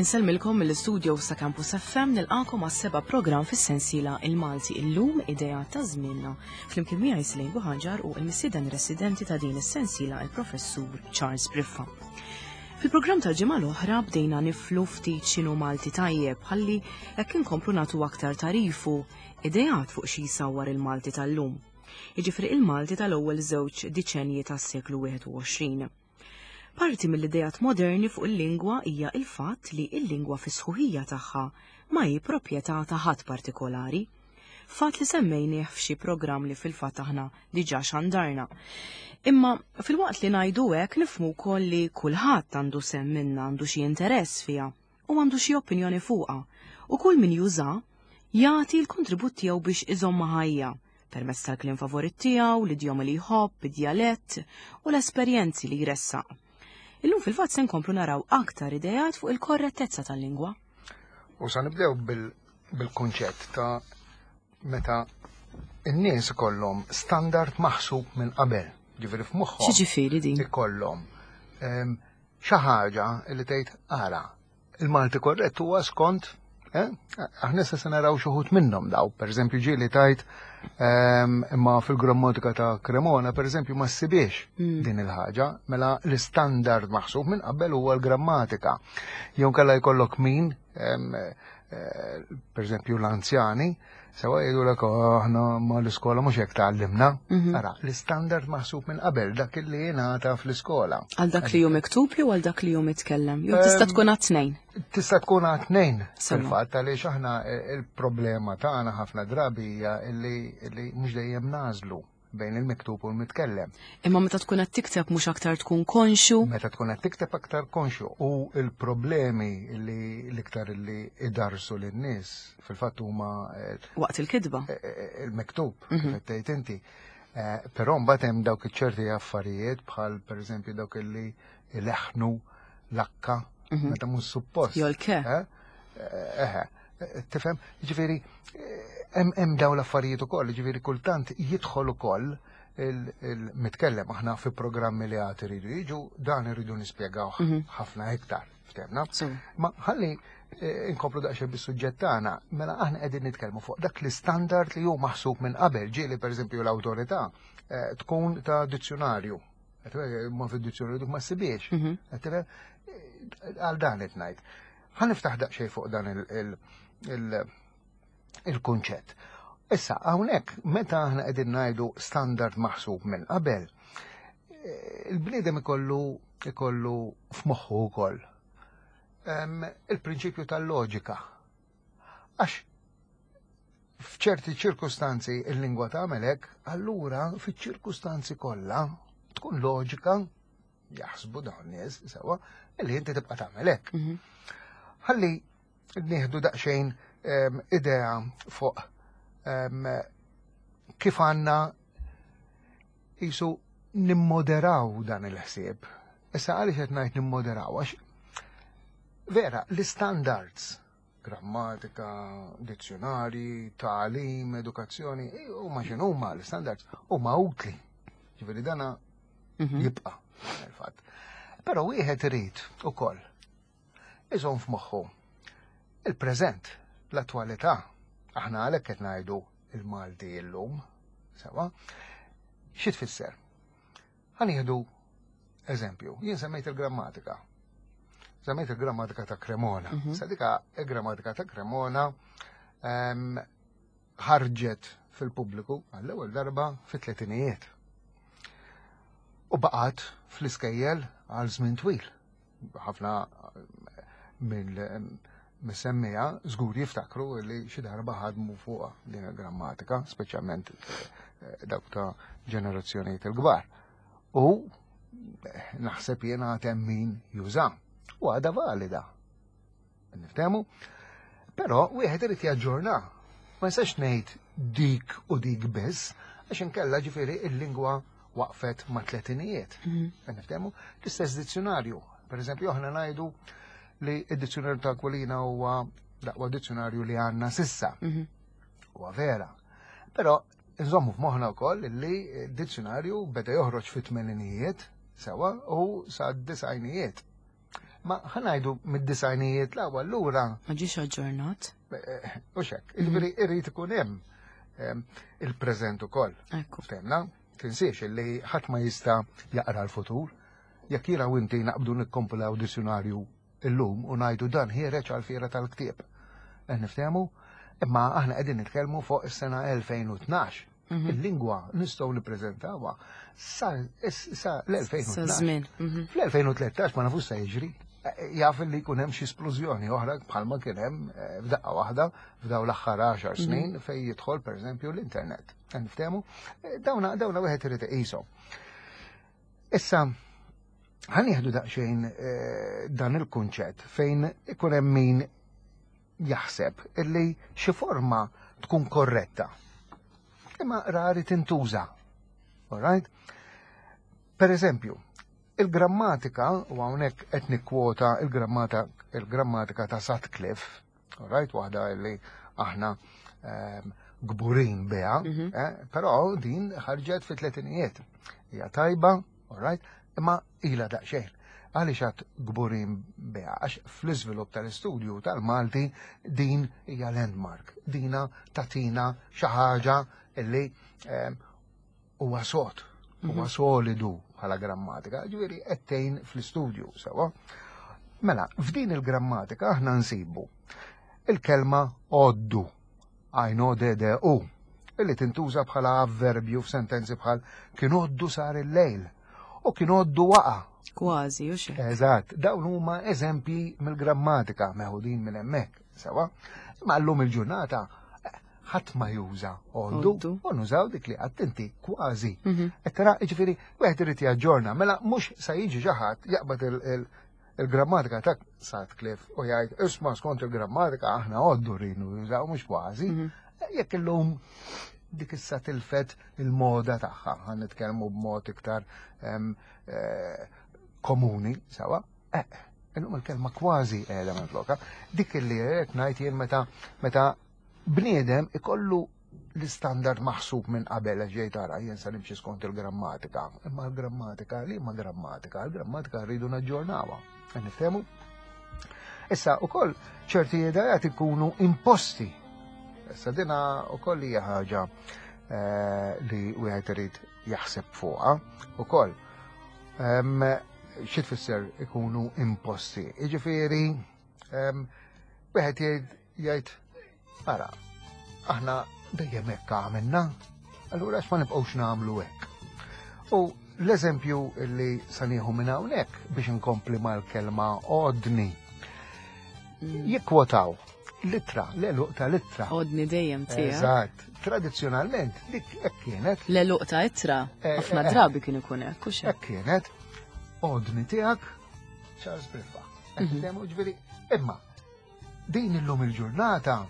Insellmilkom mill-istudio sa' Campus FM nilqakom għas-seba' programm fis-sensiela Il-Malti illum idea ta' żmienna. Flimkien miegħi Slejn Buħaġar u l-missieden residenti ta' din is-sensiela il-Professur Charles Briffa. Fil-programm tal-ġimgħa l-oħra bdejna niflu ftit x'inhu Malti tajjeb ħalli hekk inkomplu nagħtu aktar tagħrif u ideat fuq xi jsawwar il-Malti tal-lum. Jiġifieri il-Malti tal-ewwel żewġ diċenji tas-seklu 21. Parti mill-ideat moderni fuq il-lingwa hija il-fatt li l-lingwa fis-sħuħija tagħha ma hi proprjetà ta' ħadd partikolari. Fatt li semmejnieh f'xi programm li fil-fatt aħna diġà xandarna. Imma filwaqt li ngħidu hekk nifhmu wkoll li kulħadd għandu sehem minnha, għandu xi interess fiha u għandu xi opinjoni fuqha u kull min juża jagħti l-kontribut tiegħu biex iżommha ħajja permezz tal-kliem favorit tiegħu, l-idjomi li jħobb, id-djalett u l-esperjenzi li jressaq. Illum fil-fatt se nkomplu naraw aktar ideat fuq il-korrettezza tal-lingwa. U sa nibdew bil-kunċett ta' meta n-nies ikollhom standard maħsub minn qabel, ġifieri f'moħħhom. X'ġifieri din? Ikollhom ehm, xi ħaġa li tgħid ara, Il-Malti korrett huwa skont eh? Aħna issa se naraw xi wħud minnhom daw, pereżempju ġieli tajt ehm, imma fil-grammatika ta' Cremona pereżempju ma ssibiex mm. din il-ħaġa, mela l-istandard maħsub minn qabel huwa l-grammatika. Jew kellha jkollok min, ehm, eh, pereżempju l-anzjani, Sewa jgħidu l oh, aħna ma l-iskola mhux hekk tgħallimna. Mhm. Ara, l-istandard maħsub minn qabel dak li jingħata fl-iskola. Għal dak li hu miktub jew għal dak li hu mitkellem? Jew tista' ehm, tkun għat-tnejn? Tista' tkun għat-tnejn. Fil-fatt għaliex aħna eh, il-problema tagħna ħafna drabi hija li mhux dejjem nażlu bejn il-miktub u l-mitkellem. Imma meta tkun qed tikteb mhux aktar tkun konxu? Meta tkun qed tikteb aktar konxu u l-problemi li l-iktar li idarsu lin-nies fil-fatt huma eh, waqt il-kitba. Eh, eh, il-miktub, mhm. kif tgħid inti. Però mbagħad hemm dawk iċ-ċerti affarijiet bħal pereżempju dawk li ileħnu l-akka mhm. meta mhux suppost. Jew l-ke. Eħe, tifhem, ġifieri hemm dawn l-affarijiet ukoll, ġifieri kultant jidħol ukoll il-mitkellem aħna fi programmi li għad iridu jiġu dan irridu nispjegaw mhm. ħafna iktar, ftemna. Ma ħalli eh, inkomplu daqsxejn bis-suġġett tagħna, mela aħna qegħdin nitkellmu fuq dak l-istandard li hu maħsub minn qabel, ġieli pereżempju l-awtorità eh, tkun ta' dizzjonarju. Ma fid-dizzjonarju dik ma ssibiex. Mhm. Għal dan qed ngħid. Ħa niftaħ daqsxejn fuq dan il-kunċett. Issa, hawnhekk meta aħna qegħdin ngħidu standard maħsub minn qabel, eh, il-bniedem ikollu ikollu f'moħħu wkoll il-prinċipju tal-loġika. Għax f'ċerti ċirkustanzi il-lingwa tagħmel hekk, allura fiċ-ċirkustanzi kollha tkun loġika jaħsbu dawn nies sewa li inti tibqa' tagħmel hekk. Mhm. Ħalli nieħdu daqsxejn ehm, idea fuq ehm, kif għandna jisu nimmoderaw dan il-ħsieb. Issa għaliex qed ngħid nimmoderaw għax vera l-standards grammatika, dizzjonari, tagħlim, edukazzjoni, huma x'inhuma l-standards huma utli. Ġifieri dana mhm. jibqa' il-fatt. Però wieħed irid ukoll iżomm f'moħħu il-preżent, l-attwalità. Aħna għalhekk qed ngħidu il-Malti illum, sewa. Xi tfisser? Ħa nieħdu eżempju, jien semmejt il-grammatika. Semmejt il-grammatika ta' Cremona. Mm -hmm. Sadika il-grammatika ta' Cremona ehm, ħarġet fil-pubbliku għall-ewwel darba fit-tletinijiet. U baqgħet fl-iskejjel għal żmien twil. Ħafna mill-semmija żgur jiftakru li xi darba ħadmu fuq din il-grammatika, speċjalment eh, dawk ta' ġenerazzjonijiet il-kbar. U eh, naħseb jiena hemm min juża. U għadha valida. Niftehmu? Però wieħed irid jaġġorna. Ma nistax ngħid dik u dik biss, għax inkella ġifieri il-lingwa waqfet ma' tletinijiet. Mhm. Niftehmu? L-istess dizzjonarju. Per eżempju, aħna ngħidu li id-dizzjonarju ta' Aquilina huwa l-aqwa dizzjonarju li għandna sissa. Mhm. Huwa vera. Però nżommu f'moħħna wkoll li d-dizzjonarju beda joħroġ fit-tmeninijiet sewa u sa' disajnijiet. Ma ħa ngħidu mid-disgħinijiet 'l hawn allura. Ma ġiex aġġornat. U xek, jiġifieri irid ikun hemm il-preżent ukoll. Ekku. Ftemna, tinsiex li ħadd ma jista' jaqra l-futur. Jekk jiena u inti naqbdu nikkompilaw dizzjunarju illum u ngħidu dan ħiereġ għall-fiera tal-ktieb. Qed niftehmu? Imma aħna qegħdin nitkellmu fuq is-sena 2012. Il-lingwa nistgħu nippreżentawha sa l-2012. Sa żmien. Fl-2013 ma nafux se jiġri. Jaf li jkun hemm xi splużjoni oħra bħalma kien hemm f'daqqa waħda f'daw l-aħħar 10 snin fejn jidħol pereżempju l-internet. Niftehmu? Dawna dawna wieħed irid iqishom. Issa ħa nieħdu daqsxejn dan il-kunċett fejn ikun hemm min jaħseb illi xi forma tkun korretta. Imma rari tintuża. All right? Per eżempju, il-grammatika, u hawnhekk qed nikkwota il-grammatika ta' Sutcliffe, all right, waħda illi aħna gburin biha, però din ħarġet fi tletinijiet. Hija tajba, all right, imma ilha daqsxejn. Għaliex għad gburin biha? Għax fl-iżvilupp tal-istudju tal-Malti din hija landmark. Dina tatina xi ħaġa illi huwa sod, huwa solidu bħala grammatika, ġifieri qed tgħin fl-istudju sewwa. Mela, f'din il-grammatika aħna nsibu il-kelma għoddu, għajn O D D U, illi tintuża bħala avverbju f'sentenzi bħal kien għoddu sar il-lejl u kien għoddu waqa'. Kważi, u xejn. Eżatt, dawn huma eżempji mill-grammatika meħudin minn hemmhekk, sewwa. Imma llum il-ġurnata ħadd ma juża għoddu u nużaw dik li għadt inti kważi. Qed tara, jiġifieri wieħed irid jaġġorna, mela mhux sa jiġi xi ħadd jaqbad il-grammatika ta' Sutcliffe u jgħid isma' skont il-grammatika aħna għoddu rridu nużaw mhux kważi. Jekk illum dik issa tilfet il-moda tagħha, ħa nitkellmu b'mod iktar komuni, sawa, illum il-kelma kważi qiegħda minn floka. Dik li qed ngħid jien meta bniedem ikollu l-istandard maħsub minn qabel għax ġej tara jien sa nimxi skont il-grammatika. Imma l-grammatika li ma grammatika, l-grammatika rridu naġġornawha. Qed niftehmu? Issa ukoll ċerti idejat ikunu imposti. Issa dina ukoll hija ħaġa li wieħed irid jaħseb fuqha ukoll. Xi tfisser ikunu imposti? Jiġifieri, wieħed jgħid ara, aħna dejjem hekk għamilna, allura għax ma nibqgħux nagħmlu hekk. U l-eżempju li sa nieħu minn hawnhekk biex inkompli mal-kelma odni. Jikkwotaw l-ittra, l-għeluq ta' l-ittra. Odni dejjem tiegħek. Eżatt. Tradizzjonalment dik hekk kienet. L-għeluq ta' ittra, ħafna drabi kien ikun hekk, hux hekk? Hekk kienet. Odni tiegħek, Charles Briffa. Ġifieri, imma din illum il-ġurnata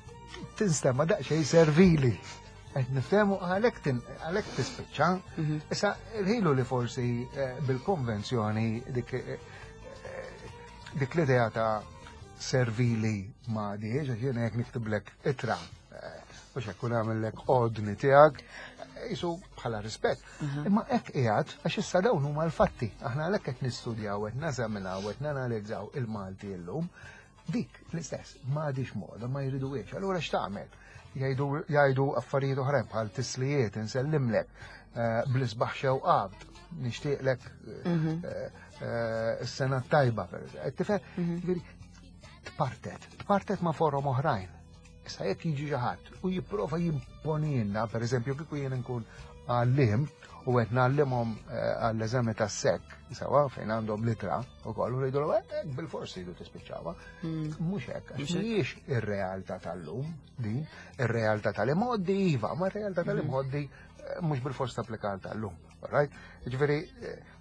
tinstema' daqsxejn servili. Qed niftehmu għalhekk tispiċċa. Issa il-ħilu li forsi bil-konvenzjoni dik l-idea ta' servili ma diħiex, għax jiena jekk niktiblek ittra, u xekk kun għamillek ordni tiegħek, jisu bħala rispett. Imma hekk qiegħed għax issa dawn huma l-fatti. Aħna għalhekk qed nistudjaw, qed nażaminaw, qed nanalizzaw il-Malti llum. Dik l-istess, ma għadix moda, ma jriduhiex. Allura x'tagħmel? Jgħidu affarijiet oħrajn bħal tislijiet, insellimlek, bl-isbaħ xewqat, nixtieqlek is-sena tajba, per eżempju. Tifhem? Ġifieri, tpartet, tpartet ma' forom oħrajn. Issa jekk jiġi xi ħadd u jipprova jimponilna, per eżempju, kieku jien nkun għallim u qed ngħallimhom għall-eżami tas-sekk, sewa fejn għandhom litra ukoll u jgħidu bil-forsi jridu tispiċċawha. Mhux hekk, għax mhijiex ir-realtà tal-lum din, ir-realtà tal-imgħoddi iva, ma r-realtà tal-imgħoddi mhux bil-fors tapplika tal-lum. Right? Ġifieri,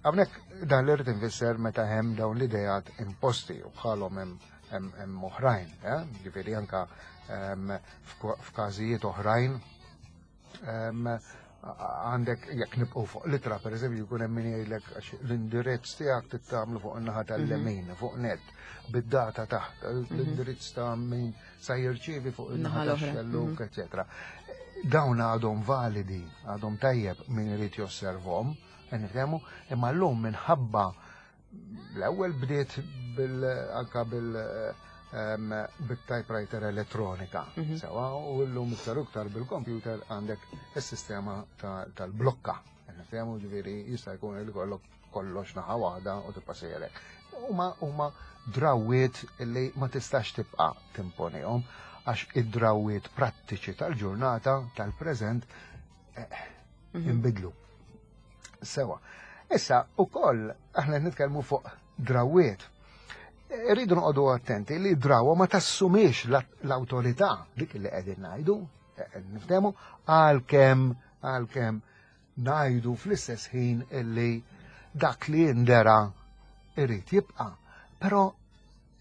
hawnhekk dan li rrid infisser meta hemm dawn l-idejat imposti u bħalhom hemm oħrajn, eh? Ġifieri anka f'każijiet oħrajn għandek jekk nibqgħu fuq litra pereżempju jkun hemm min jgħidlek għax l-indirizz tiegħek tittamlu fuq in-naħa tal-lemin, fuq net, bid-data taħt, l-indirizz ta' min sa jirċievi fuq in-naħa tax-xelluk, eċetera. Dawn għadhom validi, għadhom tajjeb min irid josservhom, nifhemu, imma llum minħabba l-ewwel bdiet bil anka bil bit-typewriter elettronika. Mhm. Sewa, u llum iktar iktar bil-computer għandek is-sistema tal-blokka. Niftehmu ġifieri jista' jkun li kollok kollox naħa waħda u tibqa' sejrek. Huma huma drawwiet li ma tistax tibqa' timponihom għax id-drawwiet prattiċi tal-ġurnata tal-preżent eh, mhm. inbidlu. Sewa. Issa, ukoll aħna nitkellmu fuq drawwiet. Irridu noqogħdu attenti li drawa ma tassumix l-awtorità dik li qegħdin ngħidu, eh, niftehmu, għalkemm għalkemm ngħidu fl-istess ħin illi dak li jindera irrid jibqa', però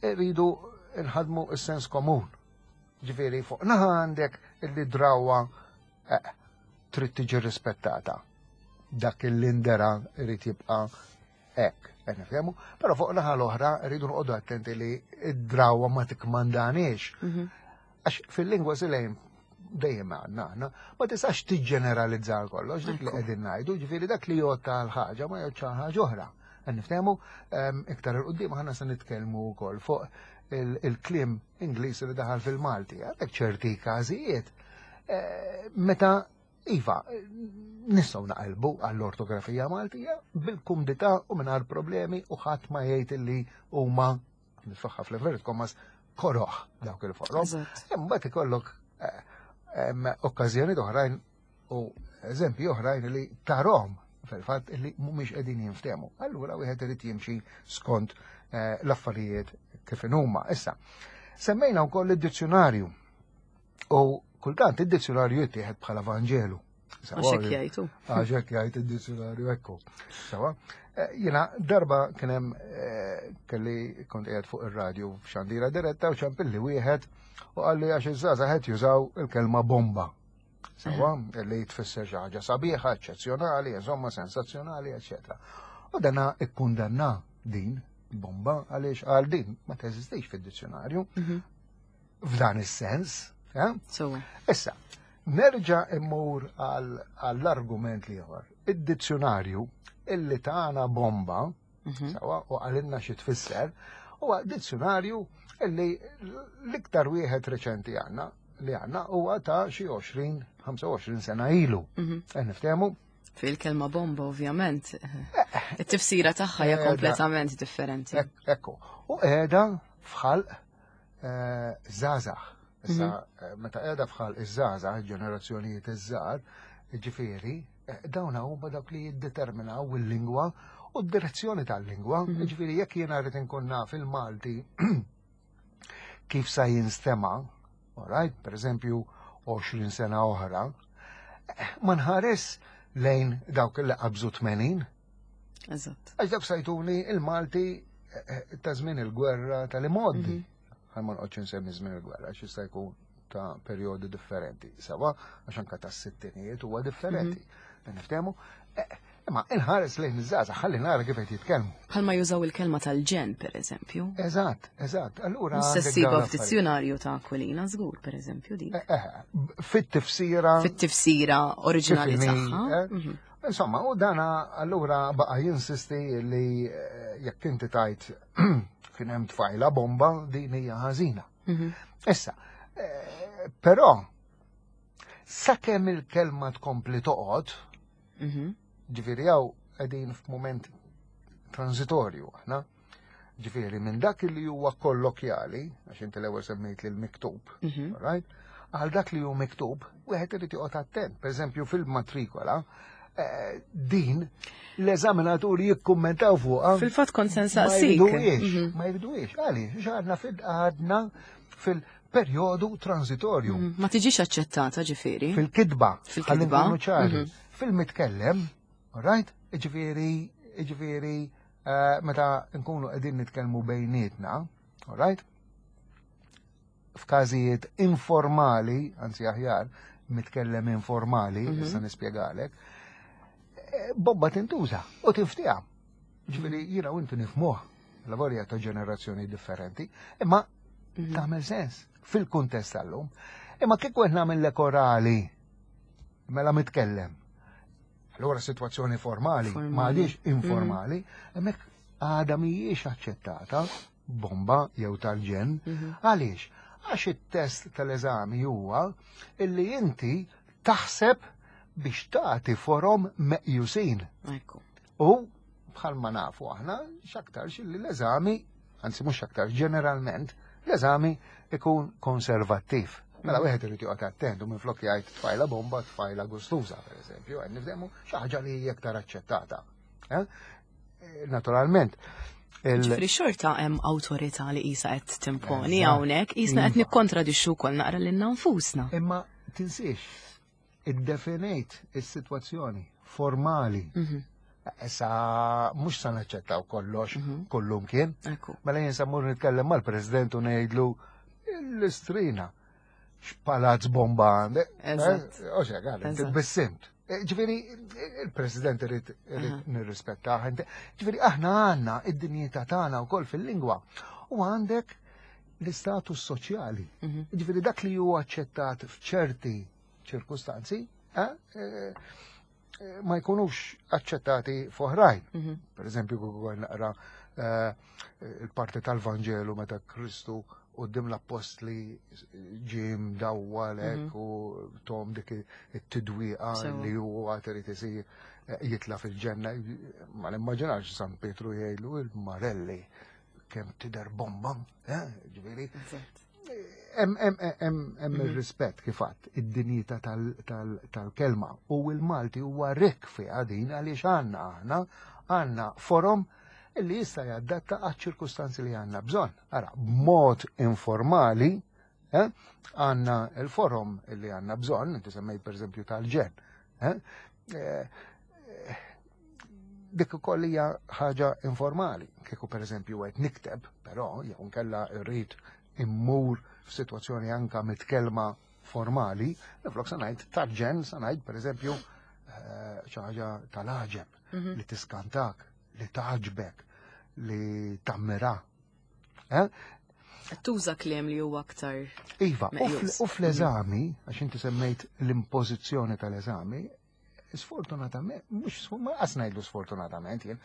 irridu nħadmu s-sens komun. Ġifieri fuq naħa għandek illi drawa eh, trid tiġi rispettata. Dak illi ndera irrid jibqa' hekk, qed nifhemu, però fuq naħa l-oħra rridu noqogħdu attenti li id-drawa ma tikmandaniex. Mhm. Għax fil-lingwa silejn dejjem għandna aħna, ma tistax tiġġeneralizza kollox dik li qegħdin ngħidu, ġifieri dak li jgħod għal ħaġa ma jgħodx għal ħaġa oħra. Qed niftehmu ehm, iktar il qudiem aħna se nitkellmu wkoll fuq il-kliem Ingliż li daħal fil-Malti. Għandek ċerti każijiet eh, meta Iva, nistgħu naqilbu għall-ortografija Maltija bil-kumdità u mingħajr problemi u ħadd ma jgħid li huma nitfaħħa fl-inverted commas koroħ dawk il-forom. Imbagħad ikollok eh, okkażjoni oħrajn u eżempji oħrajn li tarhom fil-fatt li mhumiex qegħdin jinftehmu. Allura wieħed irid jimxi skont eh, l-affarijiet kif huma. Issa, semmejna wkoll id-dizzjonarju U kultant id-dizzjonarju jittieħed bħala Vanġelu. Għaxek jgħidu. Għaxek jgħid id-dizzjonarju ekku. Sawa. Eh, jiena darba kien hemm eh, kelli kont qiegħed fuq ir-radju f'xandira diretta u ċampilli wieħed u qalli għax iż-żgħażagħ qed jużaw il-kelma bomba. Sawa, li tfisser xi ħaġa sabiħa, eċċezzjonali, insomma sensazzjonali, eċċetera. U dana ikkundanna din bomba għaliex għal din ma teżistix fid-dizzjonarju. Mhm. F'dan is-sens. Eh? Issa, nerġa' immur għall-argument liħor. Id-dizzjonarju illi tagħna bomba, mhm. sawa, u għalinna xi tfisser, huwa dizzjonarju illi l-iktar wieħed reċenti għandna li għandna huwa ta' xi 20-25 sena ilu. Mhm. Eh, niftehmu? Fil-kelma bomba, ovvjament. Eh, It-tifsira tagħha hija kompletament differenti. Ekku. U qiegħda f'ħalq Eh, żgħażagħ. Issa, mhm. eh, meta qiegħda fħal iż-żgħażagħ, ġenerazzjonijiet iż-żgħar, ġifieri, eh, dawn huma dawk li jiddeterminaw il-lingwa u d-direzzjoni tal-lingwa. Mhm. Ġifieri jekk jiena rrid inkun naf il-Malti kif sa jinstema, alright, per eżempju 20 sena oħra, ma nħares lejn dawk li qabżu 80. Eżatt. Għax dawk sajtuni il-Malti eh, eh, ta' żmien il-gwerra tal-imoddi. Mhm. Għal ma noqgħodx insemmi żmien il-gwerra, għax jista' jkun ta' perjodi differenti. Sawa, għax anka ta' sittinijiet huwa differenti. Mhm. Niftehmu, eh, imma inħares lejn iż-żgħażagħ ħalli nara kif qed jitkellmu. Bħalma jużaw il-kelma tal-ġen, per eżempju. Eżatt, eżatt. Allura. Sessiba f'dizzjonarju ta' Aquilina żgur, per eżempju, dik. Fit-tifsira. Fit-tifsira oriġinali tagħha. Mhm. Insomma, u dana allura baqa jinsisti li eh, jekk inti tajt kien hemm tfajla bomba din hija ħażina. Mhm. Issa, eh, però sakemm il-kelma tkompli toqgħod, mhm. ġifieri hawn qegħdin f'mument transitorju aħna, Ġifieri minn dak li huwa kollokjali, għax inti l-ewwel semmejt li l-miktub, mhm. right? Għal dak li hu miktub, wieħed irid joqgħod attent. Pereżempju fil-matrikola, eh, din l-eżaminaturi jikkummentaw fuqha. Fil-fatt kont se nsaqsik. Mhm. Ma jridux, għaliex għadna fil-għadna fil-perjodu transitorju. Mhm. Ma tiġix aċċettata ġifieri. Fil-kitba. Fil-kitba. Fil-mitkellem, right? Ġifieri, ġifieri, Eh, meta nkunu qegħdin nitkellmu bejnietna, all right? F'każijiet informali, anzi aħjar, mitkellem informali, mm -hmm. issa nispjegalek, eh, bomba tintuża u tinftija. Ġifieri jiena u inti nifmuh, lavorja ta' ġenerazzjoni differenti, imma mm -hmm. tagħmel sens fil-kuntest tal-lum. Imma kieku qed nagħmel orali mela mitkellem Allura situazzjoni formali, ma għadix informali, mhm. hemmhekk għada mhijiex aċċettata. bomba jew tal-ġenn. Għaliex? Għax it-test tal-eżami huwa illi inti taħseb biex tagħti forom meqjusin. Ekku. U bħalma nafu aħna x'aktarx li l-eżami, anzi mhux x'aktarx, ġeneralment l-eżami ikun konservattiv. Mela wieħed irid joqgħod attent u minflok jgħid tfajla bomba, tfajla gustuża, pereżempju, qed nifhmu xi ħaġa li hija aktar aċċettata. Eh? Naturalment. Ġifri xorta hemm awtorità li qisha qed timponi hawnhekk, qisna qed iva. nikkontradixxu wkoll naqra lilna nfusna. Imma tinsiex, iddefinejt is-sitwazzjoni formali. Mhm. Issa mhux sa naċċettaw kollox mhm. kullum kien. Mela jien sa mmur nitkellem mal-President u ngħidlu l-istrina x'palazz bomba għandek. Eh, Oċe, għal, bissimt. Eh, ġifieri, il-President irid nirrispettah. Ġifieri, aħna għandna id-dinjità tagħna wkoll fil-lingwa u għandek l-istatus soċjali. Mhm. Ġifieri dak li huwa aċċettat f'ċerti ċirkustanzi, eh, eh, ma jkunux aċċettati f'oħrajn. Mhm. Per eżempju, kieku naqra eh, il-parti tal-Vanġelu meta Kristu qudiem l-appostli ġie mdawwal mhm. u tom dik it-tidwiqa li huwa irid isir jitla fil-ġenna, ma nimmaġinax San Pietru jgħidlu il-Marelli kemm tidher bomba, eh, ġifieri. Hemm mhm. ir-rispett kif għadt, id-dinjità tal-kelma u l-Malti huwa rikk fiha din għaliex għandna aħna għandna forom li jista' jadatta għaċ-ċirkustanzi li għandna bżonn. Ara, b'mod informali, eh, għandna il-forom li għandna bżonn, inti semmejt pereżempju tal-ġenn. Eh, eh, dik ukoll hija ħaġa informali. Kieku pereżempju qed nikteb, però jew nkella rrid immur f'sitwazzjoni anka mitkellma formali, minflok sa ngħid tal-ġenn, sa ngħid pereżempju eh, xi ħaġa tal-għaġeb mhm. li tiskantak, li taġbek, li tammira. Eh? Tuża kliem li huwa aktar. Iva, u fl-eżami, għax inti semmejt l-impożizzjoni tal-eżami, sfortunatament, mhux ma qas ngħidlu sfortunatament jien,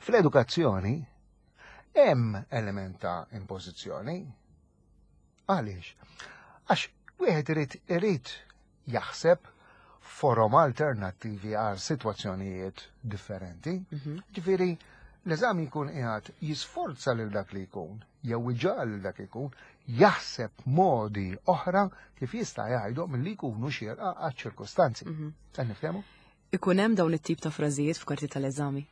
fl-edukazzjoni hemm element ta' impożizzjoni. Għaliex? Għax wieħed irid irid jaħseb forom alternattivi għal sitwazzjonijiet differenti. Mhm. Ġifieri, l-eżami jkun qiegħed jisforza lil dak li jkun, jew iġagħal lil dak li jkun, jaħseb modi oħra kif jista' jgħidhom li jkunu xierqa għaċ-ċirkustanzi. Mhm. Qed niftehmu? Ikun hemm dawn it-tip ta' frażijiet f'karti tal-eżami?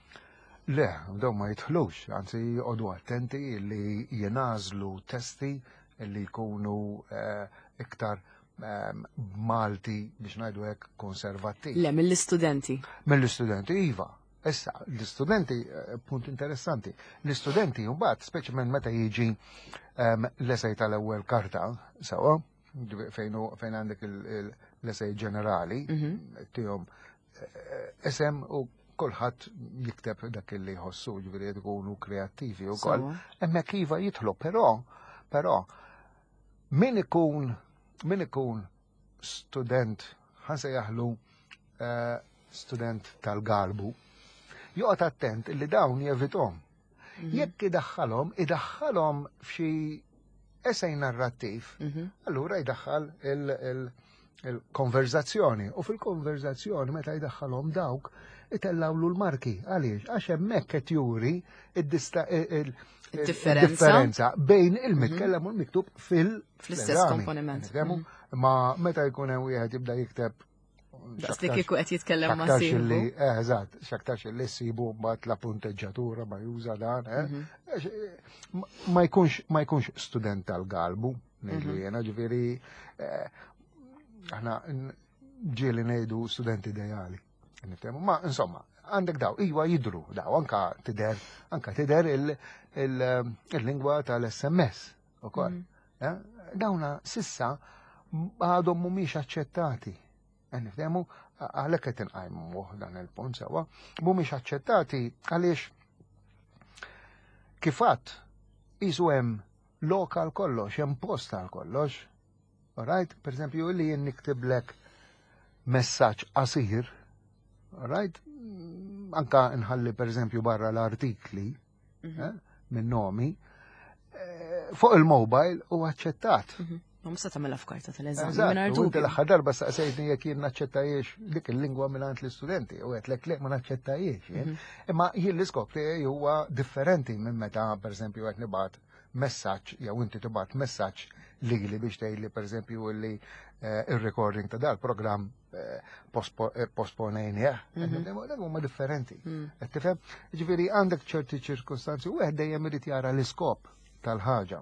Le, dawn ma jidħlux, anzi joqogħdu attenti li jingħażlu testi li jkunu eh, iktar ehm, Malti biex ngħidu hekk konservattiv. Le, mill-istudenti. Mill-istudenti, iva. Issa, l-istudenti, eh, punt interessanti, l-istudenti mbagħad, speċjalment meta jiġi ehm, l-esej tal-ewwel karta, sewa, fejn fejn għandek l-esej ġenerali, mhm. tihom eh, esem u kulħadd jikteb dak li jħossu, ġifieri qed ikunu kreattivi wkoll. Hemmhekk iva jidħlu, però però min ikun min ikun student ħanse jaħlu eh, student tal-galbu, joqgħod attent li dawn jevithom. Mhm. Jekk idaħħalhom, idaħħalhom f'xi esej narrattiv, mhm. allura jdaħħal il-konverzazzjoni. U fil-konverzazzjoni meta jdaħħalhom dawk, itellawlu l-marki. Għaliex? Għax hemmhekk qed juri id-differenza bejn il-mitkellem u l-miktub fil-istess komponiment. Mhm. Ma meta jkun hemm wieħed jibda jikteb Daqs li kieku qed jitkellem ma' sieħbu. Eh, eżatt, x'aktarx li ssibu mbagħad la punteġġatura ma juża dan, eh. Mhm. Eh, ma jkunx ma jkunx student tal-galbu, ngħidlu mhm. jiena, ġifieri eh, aħna ġieli ngħidu student ideali. Niftehmu, ma insomma, għandek daw, iwa jidru daw, anka tider, anka tider il-lingwa tal-SMS ukoll. Mhm. Eh? Dawna sissa għadhom mhumiex aċċettati. Eh, nifhemu għalhekk qed inqajmu dan il-punt sewwa, mhumiex aċċettati għaliex kif għadt qisu hemm lokal kollox, hemm post għal kollox. Alright? Per eżempju, li jien niktiblek messaġġ qasir, alright? Anka nħalli per eżempju barra l-artikli, mhm. eh, minn nomi. Fuq il-mobile u aċċettat. Ma mhux se tagħmilha f'karta tal-eżami mingħajr dubju. L-aħħar darba saqsejtni jekk jien naċċettajiex dik il-lingwa mingħand l-istudenti u għedtlek le ma naċċettajiex. Imma jien l-iskop tiegħi huwa differenti minn meta pereżempju qed nibgħat messaġġ jew inti tibgħat messaġġ lili biex tgħidli pereżempju li eh, ir-recording ta' dal-programm eh, eh, posponejnieh. Dak huma differenti. Qed tifhem? Ġifieri għandek ċerti ċirkustanzi u wieħed dejjem irid jara l-iskop tal-ħaġa.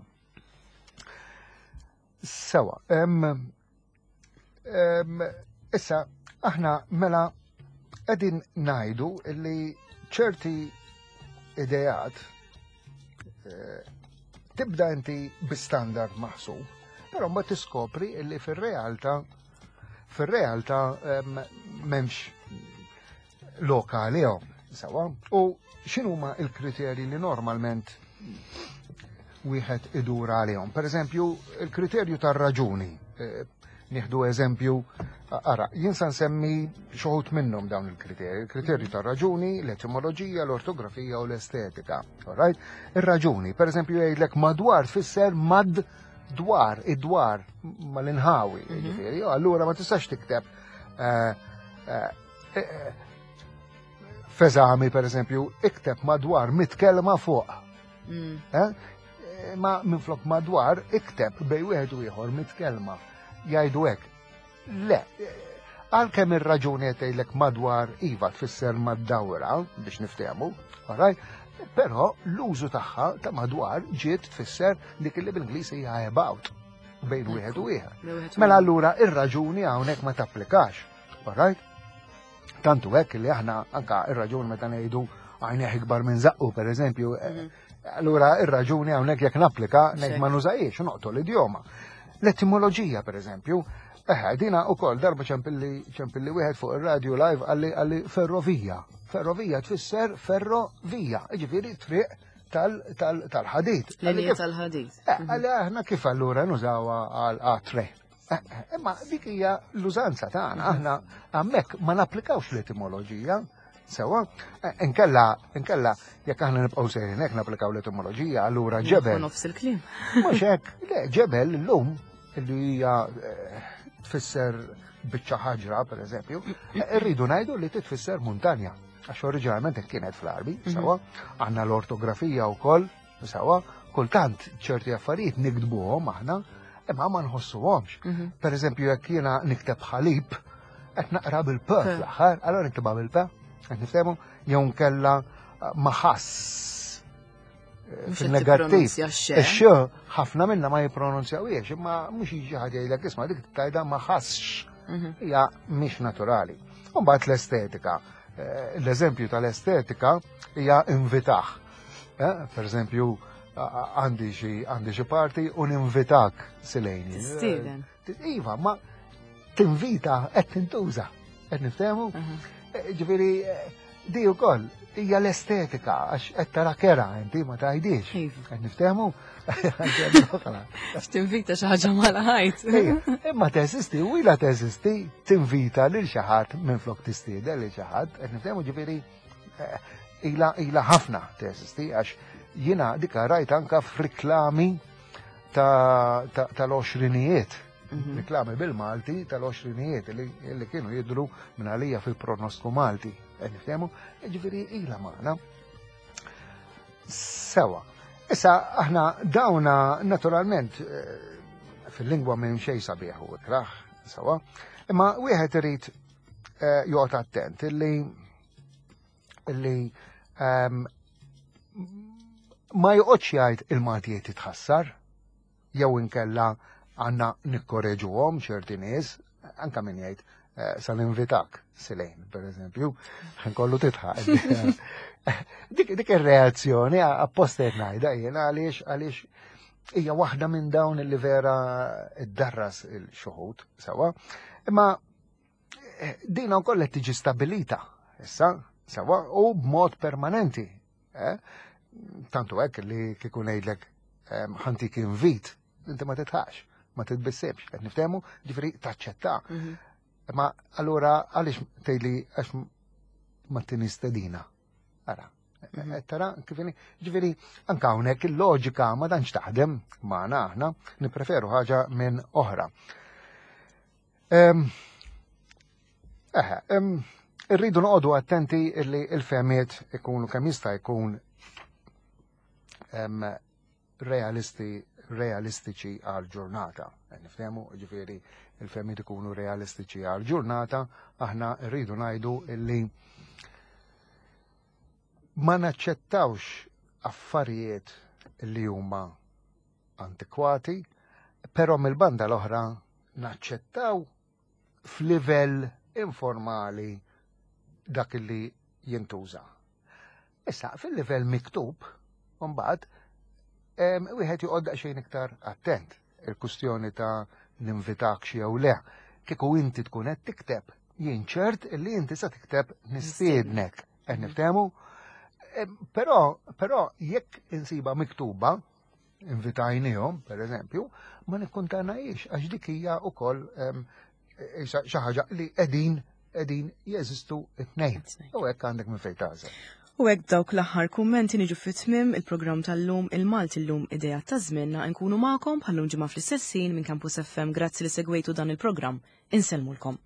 Sewa, issa aħna mela qegħdin ngħidu li ċerti ideat eh, tibda inti bi standard maħsub, però ma tiskopri li fir-realtà fir-realtà m'hemmx loka għalihom. Sewa, u x'inhuma il-kriterji li normalment wieħed idur għalihom. Per eżempju, il-kriterju tar-raġuni. Eh, nieħdu eżempju, ara, jien sa nsemmi xoħut minnhom dawn il-kriterji. Il-kriterju tar-raġuni, l-etimoloġija, l-ortografija u l-estetika. Alright? Ir-raġuni, per eżempju, jgħidlek madwar tfisser mad dwar, id-dwar mal-inħawi, ġifieri, allura ma tistax tikteb eh, eh, F'eżami, per eżempju, ikteb madwar mitkelma fuq. Eh? Ma minflok madwar, ikteb bej wieħed u ieħor mitkelma. Jgħidu hekk. Le, għalkemm ir-raġuni qed tgħidlek madwar iva tfisser mad-dawra biex niftehmu, alright? Però l-użu tagħha ta' madwar ġiet tfisser dik li bil-Ingliż hija about bejn wieħed u ieħor. Mela allura ir-raġuni hawnhekk ma tapplikax. Alright? Tantu hekk li aħna anka ir-raġuni meta ngħidu għajneħ ikbar minn zaqqu, per eżempju, eh, allura ir-raġuni hawnhekk jekk napplika ngħid ma nużajiex noqtol l-idjoma. L-etimoloġija, per eżempju, eħe, dina u koll darba ċempilli ċempilli wieħed fuq ir-radio live għalli għalli ferrovija. Ferrovija tfisser ferrovija, ġifieri triq tal-ħadid. Linja tal-ħadid. Eh, għalli aħna kif allura nużawha għal A3. Eh, eh, imma dik hija l-użanza tagħna, aħna hemmhekk ma napplikawx l-etimoloġija. Sewa, eh, inkella, inkella, jekk aħna nibqgħu sejrin hekk napplikaw l-etimoloġija, allura ġebel. Nofs il-kliem. Mhux hekk, le, ġebel illum li hija tfisser biċċa ħaġra, per eżempju, irridu ngħidu li titfisser muntanja. Għax oriġinalment kienet fl-Arbi, sewa, għandna l-ortografija wkoll Sawa, kultant ċerti affarijiet nikdbuhom aħna, imma ma nħossuhomx. Per eżempju, jekk jiena nikteb ħalib, qed naqra bil-p fl-aħħar, allora niktebha bil-p, qed niftehmu, jew nkella eh, ma ħass eh, fil-negattiv. Ix-x ħafna minna ma jippronunzjawiex, imma mhux jiġi ħadd jgħidlek isma' dik tajda ma ħassx. Hija mhix naturali. U mbagħad l-estetika. Eh, l-eżempju tal-estetika hija invitaħ. Eh, per eżempju, għandi xi għandi xi parti u ninvitak silejni. Tistieden. Eh, iva, ma tinvita qed tintuża. Qed niftehmu? Eh, ġifieri di wkoll hija l-estetika għax qed tara kera inti ma tgħidix. Iva. Qed niftehmu? Tinvita xi ħaġa mal-ħajt. Imma teżisti u ilha teżisti tinvita lil xi ħadd minflok tistieden lil xi ħadd, qed niftehmu ġifieri eh, ila ila ħafna teżisti għax jiena dika rajt anka f'riklami tal-għoxrinijiet. Riklami bil-Malti tal-għoxrinijiet li kienu jidhru minn għalija fil-pronostiku Malti. Qed niftehmu? Ġifieri ilha magħna. Sewa. Issa aħna dawna naturalment eh, fil-lingwa minn xejn sabiħ u ikraħ, sewa. Imma wieħed irid eh, joqgħod attent illi illi ehm, ma joqgħodx jgħid il-Malti qed jitħassar jew inkella għandna nikkoreġuhom ċerti nies, anka min jgħid eh, sa ninvitak silejn, per eżempju, nkollu titħaq. Dik, dik ir-reazzjoni apposta qed ngħidha jien għaliex għaliex hija waħda minn dawn li vera iddarras il-xuħud sewa. Imma eh, dina wkoll qed tiġi stabilita issa sewa u b'mod permanenti. Eh? Tantu hekk li kieku ngħidlek eh, ħantik invit, inti ma titħax, ma titbissibx, qed niftehmu, ġifieri taċċetta. Ma allura għaliex tgħidli għax ma tini stedina. Ara. Mhm. Tara kif ġifieri anke hawnhekk il-loġika ma tantx taħdem magħna aħna, nippreferu ħaġa minn oħra. Eħe, irridu noqogħdu attenti li l-fehmiet ikunu kemm jista' jkun realisti realistiċi għal ġurnata. Niftehmu, ġifieri il-fehmiet ikunu realistiċi għal ġurnata, aħna rridu ngħidu illi ma naċċettawx affarijiet li huma antikwati, però mill-banda l-oħra naċċettaw f'livell informali dak li jintuża. Issa, fil-livell miktub, mbagħad, wieħed joqgħod daqsxejn iktar attent il-kustjoni ta' ninvitak jew le. Kieku inti tkun qed tikteb, jien ċert li inti se tikteb nistiednek. Qed niftehmu? Però, però jekk insiba miktuba, invitajnihom, per eżempju, ma nikkuntanajiex għax dik hija wkoll xi ħaġa li qegħdin qegħdin jeżistu t-tnejn. U hekk għandek minn fejn tagħżel. U hekk dawk l-aħħar kummenti niġu fit-tmiem il-programm tal-lum il-Malti llum idea ta' żmienna nkunu magħkom bħallum ġimgħa fl-istess ħin minn Campus FM. Grazzi li segwejtu dan il-programm. Insellmulkom.